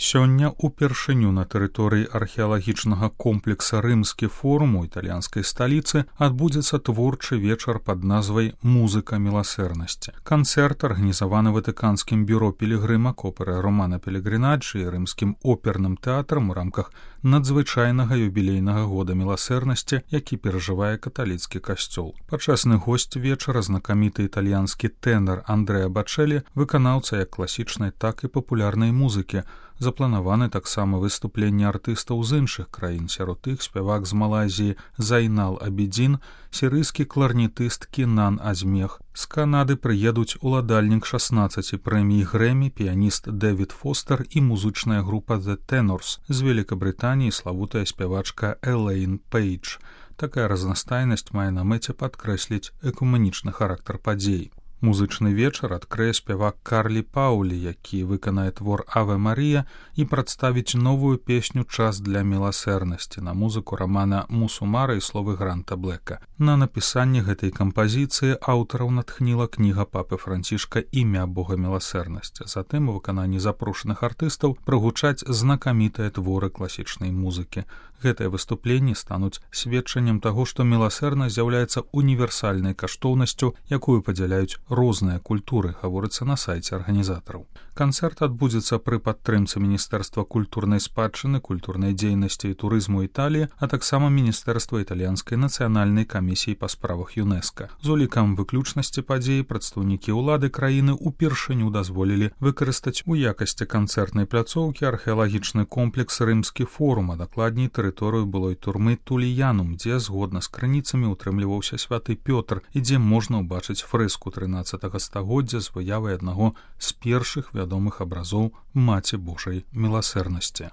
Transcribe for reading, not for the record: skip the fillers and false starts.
Сёння упершыню на тэрыторыі археалагічнага комплекса «Рымскі форум» у італьянскай сталіцы адбудзецца творчы вечар пад назвай «Музыка міласэрнасці». Канцэрт арганізаваны Ватыканскім бюро пілігрыма Копера Романа Пелегрынаджы і Рымскім оперным тэатрам у рамках надзвычайнага юбілейнага года міласэрнасці, які перажывае каталіцкі касцёл. Пачасны госць вечара знакаміты італьянскі тэнар Андрэа Бачэлі, выканаўца як класічнай, так і папулярнай музыкі. Запланаваны таксама выступленні артыстаў з іншых краін, сярод іх спявак з Малайзіі Зайнал Абідзін, сірыйскі кларнетыст Кінан Азмех. З Канады прыедуць уладальнік 16 прэмій Грэмі, піяніст Дэвід Фостер і музычная група The Tenors, з Великабрытаніі славутая спявачка Элейн Пейдж. Такая разнастайнасць мае на мэце падкрэсліць экумэнічны характар падзей. Музычны вечар адкрые спявак Карлі Паулі, які выканае твор «Аве Марія» і прадставіць новую песню «Час для міласэрнасці» на музыку рамана Мусумара і словы Гранта Блэка. На напісанне гэтай кампазіцыі аўтараў натхніла кніга папы Францішка «Імя Бога міласэрнасці». Затым у выкананні запрошаных артыстаў прагучаць знакамітыя творы класічнай музыкі. Гэтыя выступленні стануць сведчаннем таго, што міласэрнасць з'яўляецца універсальнай каштоўнасцю, якую падзяляюць розныя культуры, гаворыцца на сайце арганізатараў. Канцэрт адбудзецца пры падтрымцы Міністэрства культурнай спадчыны, культурнай дзейнасці і турызму Італіі, а таксама Міністэрства італьянскай нацыянальнай камісіі па справах ЮНЕСКА. З улікам выключнасці падзеі прадстаўнікі ўлады краіны ўпершыню дазволілі выкарыстаць у якасці канцэртнай пляцоўкі археалагічны комплекс «Рымскі форум», а дакладней тэрыторыю былой турмы Туліянум, дзе згодна з крыніцамі утрымліваўся святы Пётр і дзе можна ўбачыць фрэску 13 стагоддзя з выявай аднаго з першых вядомых абразоў Маці Божай міласэрнасці.